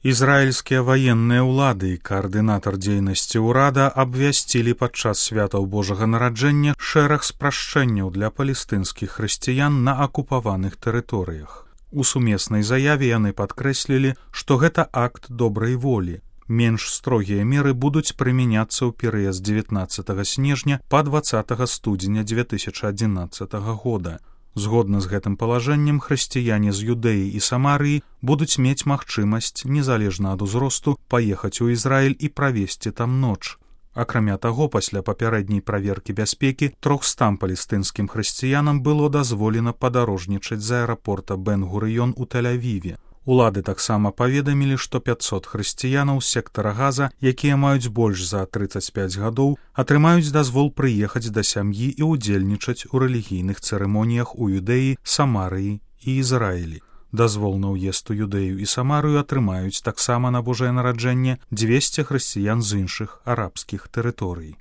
Ізраільскія ваенныя ўлады і каардынатар дзейнасці ўрада абвясцілі падчас святаў Божага нараджэння шэраг спрашчэнняў для палестынскіх хрысціян на акупаваных тэрыторыях. У сумеснай заяве яны падкрэслілі, што гэта акт добрай волі. Менш строгія меры будуць прымяняцца ў перыяд з 19 снежня па 20 студзеня 2011 года. Згодна з гэтым палажэннем, хрысціяне з Юдэі і Самарыі будуць мець магчымасць, незалежна ад узросту, паехаць у Ізраіль і правесці там ноч. Акрамя таго, пасля папярэдняй праверкі бяспекі 300 палестынскім хрысціянам было дазволена падарожнічаць з аэрапорта Бен-Гурыён у Тель-Авіве. Улады таксама паведамілі, што 500 хрысціянаў з сектара Газа, якія маюць больш за 35 гадоў, атрымаюць дазвол прыехаць да сям'і і ўдзельнічаць у рэлігійных цырымоніях у Юдэі, Самарыі і Ізраілі. Дазвол на ўезд у Юдэю і Самарыю атрымаюць таксама на Божае нараджэнне 200 хрысціян з іншых арабскіх тэрыторый.